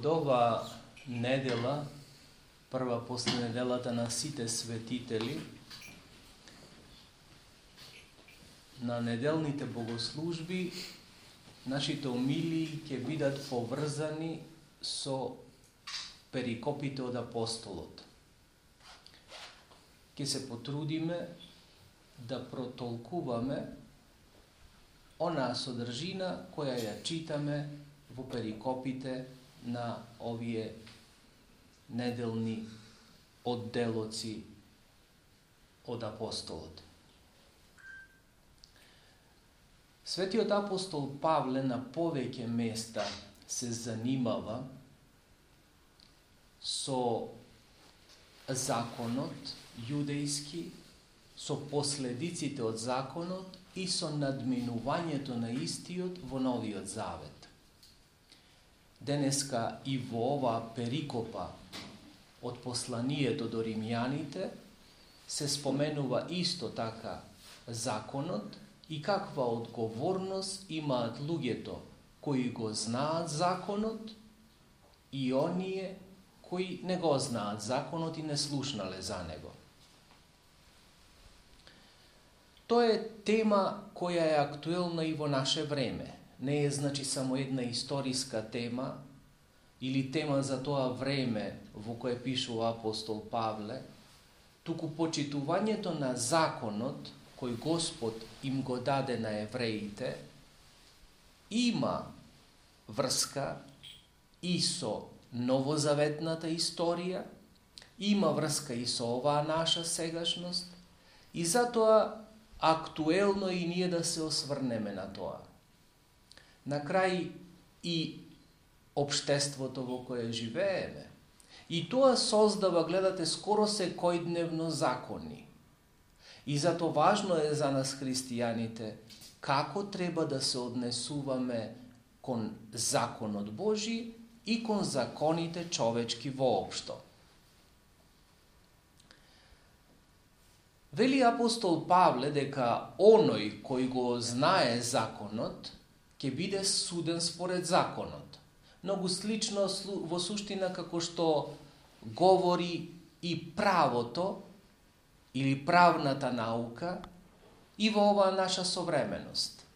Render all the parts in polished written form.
Од ова недела, прва после неделата на сите светители, на неделните богослужби, нашите омилии ќе бидат поврзани со перикопите од апостолот. Ќе се потрудиме да протолкуваме онаа содржина која ја читаме во перикопите на овие неделни одделоци од апостолот. Светиот апостол Павле на повеќе места се занимава со законот јудејски, со последиците од законот и со надминувањето на истиот во Новиот Завет. Денеска и во оваа перикопа од посланието до римјаните се споменува исто така законот и каква одговорност имаат луѓето кои го знаат законот и оние кои не го знаат законот и не слушнале за него. Тоа е тема која е актуелна и во наше време. Не е значи само една историска тема или тема за тоа време во кое пишува апостол Павле, туку почитувањето на законот кој Господ им го даде на евреите, има врска и со новозаветната историја, има врска и со оваа наша сегашност, и затоа актуелно и ние да се осврнеме на тоа. На крај и општеството во кое живееме, и тоа создава, гледате, скоро секојдневно закони. И зато важно е за нас христијаните како треба да се однесуваме кон законот Божи и кон законите човечки воопшто. Вели апостол Павле дека оној кој го знае законот ќе биде суден според законот. Многу слично во суштина како што говори и правото или правната наука и во оваа наша современост.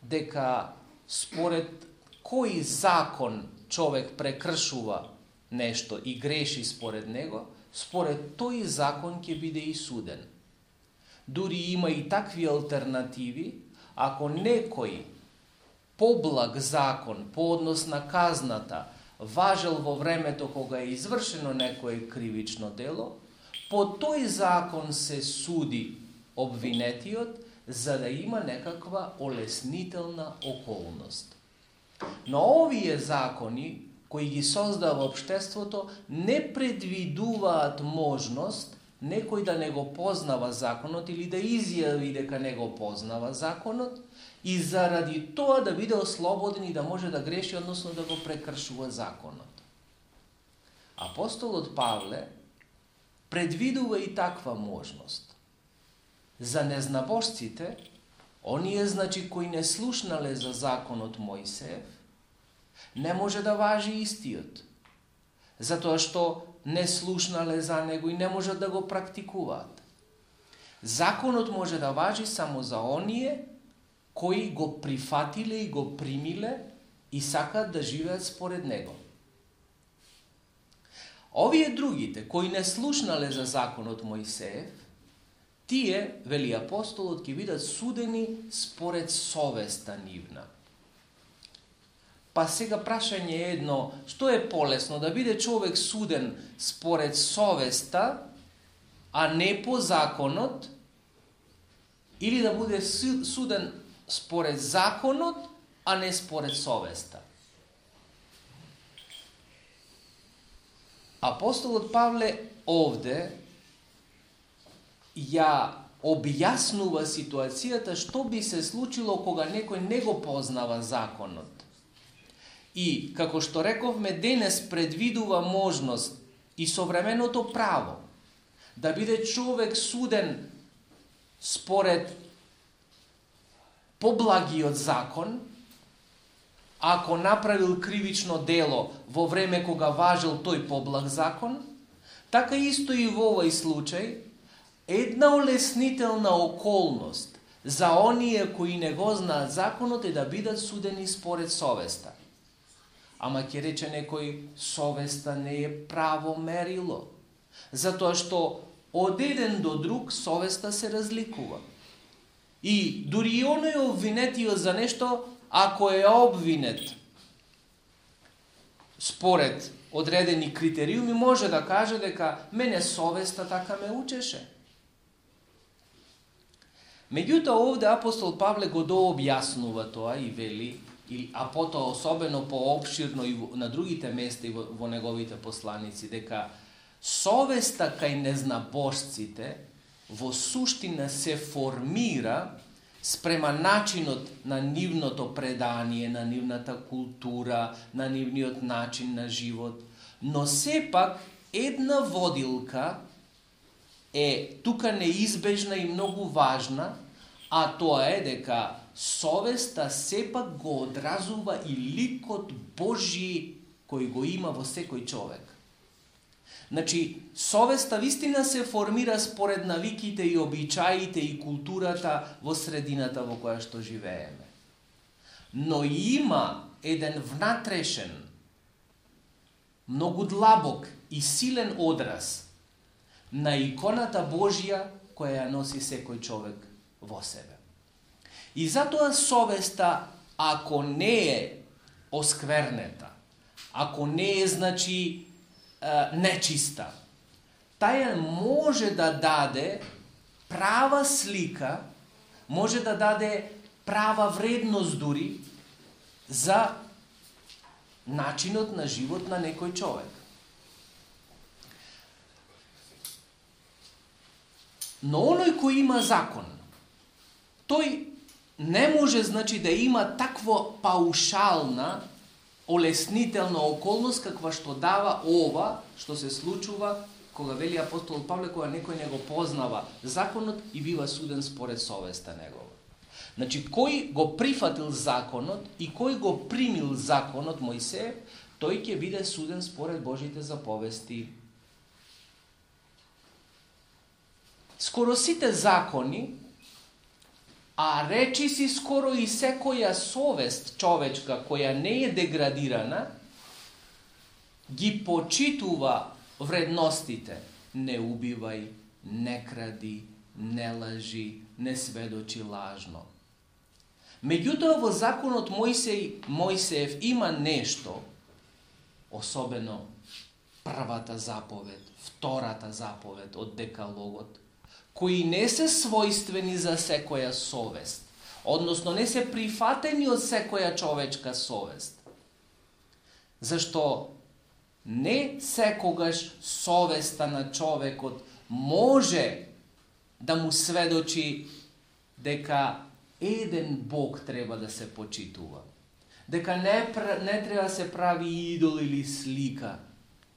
Дека според кој закон човек прекршува нешто и греши според него, според тој закон ќе биде и суден. Дури има и такви алтернативи, ако некој поблаг закон по однос на казната важел во времето кога е извршено некое кривично дело, по тој закон се суди обвинетиот за да има некаква олеснителна околност. Но овие закони кои ги создава општеството не предвидуваат можност некој да не го познава законот или да изјави дека не го познава законот и заради тоа да биде ослободен и да може да греши, односно да го прекршува законот. Апостолот Павле предвидува и таква можност. За незнабожците, оние значи кои не слушнале за законот Мојсеев, не може да важи истиот, затоа што не слушнале за него и не можат да го практикуваат. Законот може да важи само за оние кои го прифатиле и го примиле и сакаат да живеат според него. Овие другите, кои не слушнале за законот Мојсеев, тие, вели апостолот, ќе бидат судени според совеста нивна. Па сега прашање е едно, што е полесно, да биде човек суден според совеста, а не по законот, или да биде суден според законот, а не според совеста? Апостолот Павле овде ја објаснува ситуацијата што би се случило кога некој не го познава законот. И, како што рековме, денес предвидува можност и современото право да биде човек суден според поблагиот закон, ако направил кривично дело во време кога важел тој поблаг закон, така исто и во овој случај, една олеснителна околност за оние кои не го знаат законот е да бидат судени според совеста. Ама ќе рече некој, совеста не е право мерило, затоа што од еден до друг совеста се разликува. И дури и оној обвинетиот за нешто, ако е обвинет според одредени критериуми, може да каже дека мене совеста така ме учеше. Меѓутоа овде апостол Павле го дообјаснува тоа и вели, а потоа особено поопширно и на другите места и во неговите посланици, дека совеста кај незнабожците во суштина се формира спрема начинот на нивното предание, на нивната култура, на нивниот начин на живот, но сепак една водилка е тука неизбежна и многу важна, а тоа е дека совеста сепак го одразува и ликот Божи кој го има во секој човек. Значи, совеста вистина се формира според навиките и обичаите и културата во средината во која што живееме. Но има еден внатрешен, многу длабок и силен одраз на иконата Божја која ја носи секој човек во себе. И затоа совеста, ако не е осквернета, ако не е, значи, нечиста, таја може да даде права слика, може да даде права вредност дури за начинот на живот на некој човек. Но оној кој има закон, тој не може, значи, да има таква паушална, олеснителна околност каква што дава ова, што се случува кога вели апостол Павле, кога некој не го познава законот и бива суден според совеста негова. Значи, кој го прифатил законот и кој го примил законот Мојсеев, тој ќе биде суден според Божите заповести. Скоро сите закони, а речи си скоро и секоја совест човечка која не е деградирана, ги почитува вредностите. Не убивај, не кради, не лажи, не сведочи лажно. Меѓутоа во законот Мојсеев има нешто, особено првата заповед, втората заповед од Декалогот, кои не се својствени за секоја совест, односно не се прифатени од секоја човечка совест. Зашто не секогаш совеста на човекот може да му сведочи дека еден Бог треба да се почитува, дека не треба да се прави идол или слика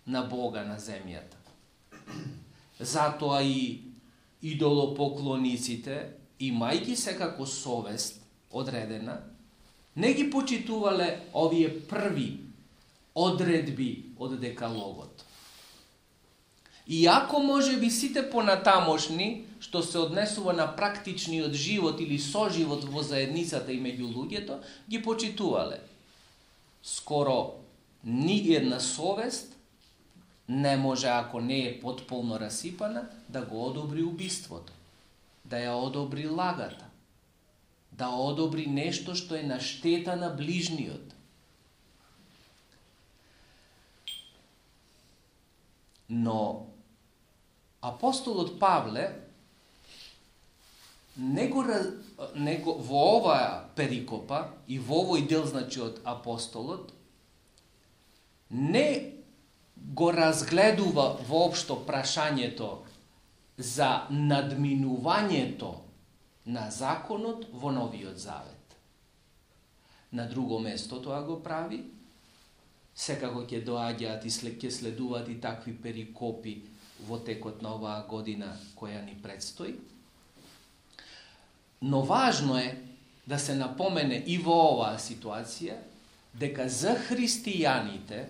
на Бога на земјата. Затоа и идолопоклониците, имајќи секако совест одредена, не ги почитувале овие први одредби од Декалогот. Иако може би сите понатамошни, што се однесува на практичниот живот или соживот во заедницата и меѓу луѓето, ги почитувале. Скоро ни една совест не може, ако не е потполно расипана, да го одобри убиството, да ја одобри лагата, да одобри нешто што е на штета на ближниот. Но апостолот Павле во оваа перикопа и во овој дел, значи, од апостолот, не го разгледува воопшто прашањето за надминувањето на законот во Новиот Завет. На друго место тоа го прави, секако ќе доаѓаат и ќе следуваат и такви перикопи во текот на оваа година која ни предстои. Но важно е да се напомене и во оваа ситуација дека за христијаните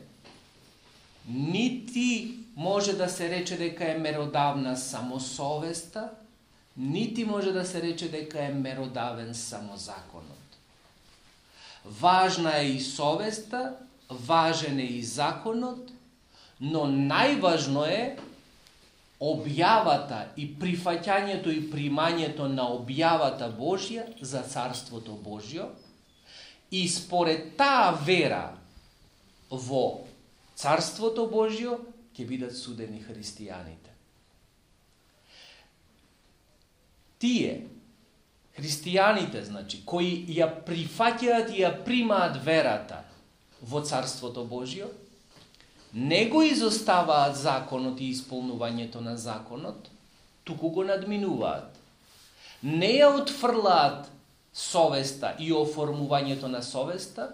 нити може да се рече дека е меродавна само совеста, нити може да се рече дека е меродавен само законот. Важна е и совеста, важен е и законот, но најважно е објавата и прифаќањето и примањето на објавата Божја за Царството Божјо, и според таа вера во Царството Божјо ќе бидат судени христијаните. Тие, христијаните, значи, кои ја прифаќаат и ја примаат верата во Царството Божјо, не го изоставаат законот и исполнувањето на законот, туку го надминуваат. Не ја отфрлаат совеста и оформувањето на совеста,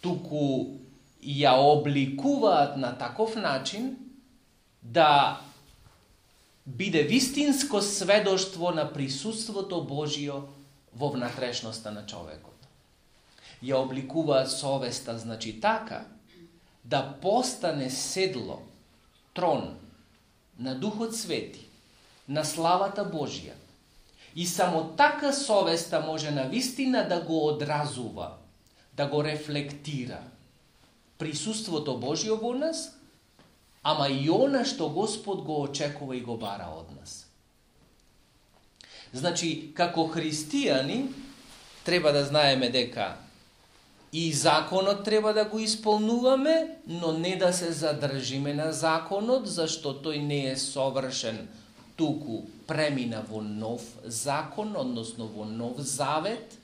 туку ја обликуваат на таков начин да биде вистинско сведоштво на присуството Божјо во внатрешноста на човекот. Ја обликуваат совеста, значи така, да постане седло, трон на Духот Свети, на славата Божја. И само така совеста може навистина да го одразува, да го рефлектира присуството Божјо во нас, ама и она што Господ го очекува и го бара од нас. Значи, како христијани, треба да знаеме дека и законот треба да го исполнуваме, но не да се задржиме на законот, зашто тој не е совршен, туку премина во нов закон, односно во нов завет.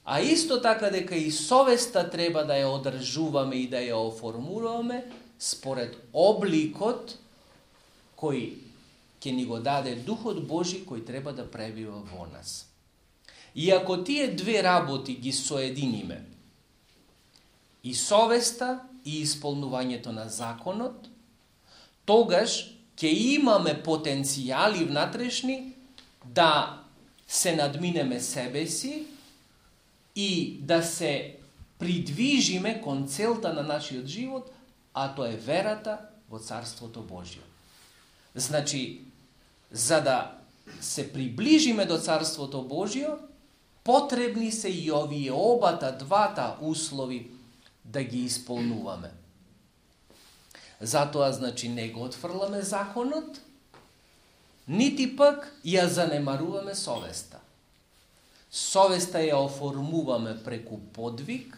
А исто така дека и совеста треба да ја одржуваме и да ја оформуваме според обликот кој ќе ни го даде Духот Божи, кој треба да пребива во нас. И ако тие две работи ги соединиме, и совеста и исполнувањето на законот, тогаш ќе имаме потенцијали внатрешни да се надминеме себе си и да се придвижиме кон целта на нашиот живот, а тоа е верата во Царството Божјо. Значи, за да се приближиме до Царството Божјо, потребни се и овие двата услови да ги исполнуваме. Затоа, значи, не го отфрламе законот, нити пак ја занемаруваме совеста. Совеста ја оформуваме преку подвиг,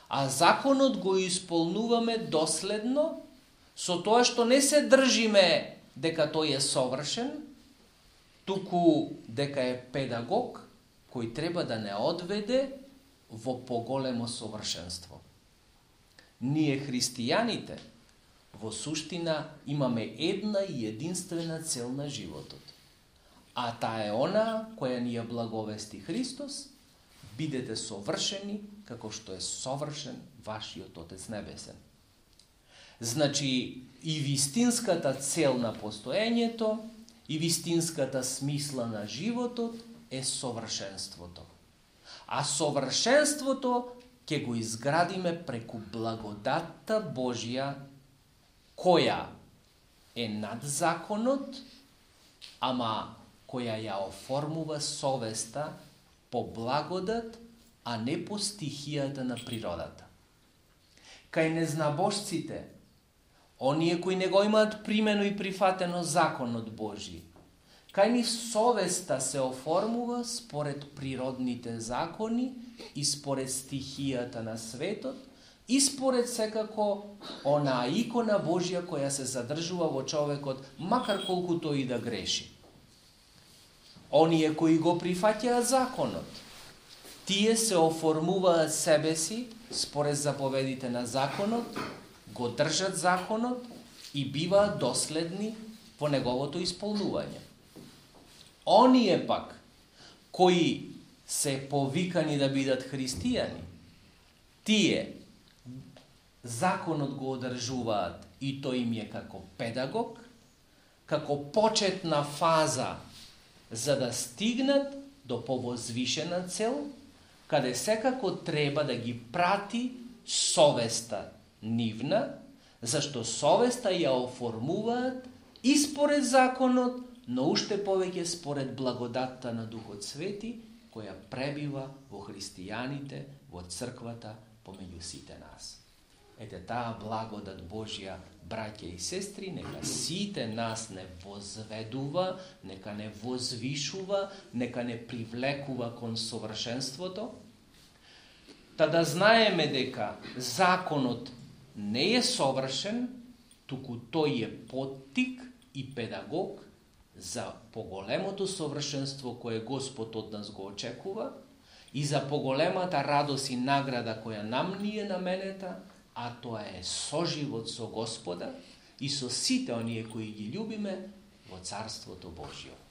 а законот го исполнуваме доследно, со тоа што не се држиме дека тој е совршен, туку дека е педагог кој треба да не одведе во поголемо совршенство. Ние христијаните во суштина имаме една и единствена цел на животот. А таа е она која ни ја благовести Христос: бидете совршени како што е совршен вашиот Отец Небесен. Значи, и вистинската цел на постоењето, и вистинската смисла на животот е совршенството. А совршенството ќе го изградиме преку благодатта Божја, која е над законот, ама која ја оформува совеста по благодат, а не по стихијата на природата. Кај незнабожците, оние кои не го имаат примено и прифатено законот Божи, кај нив совеста се оформува според природните закони и според стихијата на светот и според секако онаа икона Божја која се задржува во човекот, макар колку тој и да греши. Оние кои го прифаќаат законот, тие се оформуваат себе си според заповедите на законот, го држат законот и биваат доследни во неговото исполнување. Оние пак кои се повикани да бидат христијани, тие законот го одржуваат и тој им е како педагог, како почетна фаза за да стигнат до повозвишена цел, каде секако треба да ги прати совеста нивна, зашто совеста ја оформуваат и според законот, но уште повеќе според благодатта на Духот Свети, која пребива во христијаните, во црквата, помеѓу сите нас. Ете таа благодат Божја, браќа и сестри, нека сите нас не возведува, нека не возвишува, нека не привлекува кон совршенството, та да знаеме дека законот не е совршен, туку тој е поттик и педагог за поголемото совршенство кое Господ од нас го очекува и за поголемата радост и награда која нам ни е наменета, а тоа е соживот со Господа и со сите оние кои ги љубиме во Царството Божјо.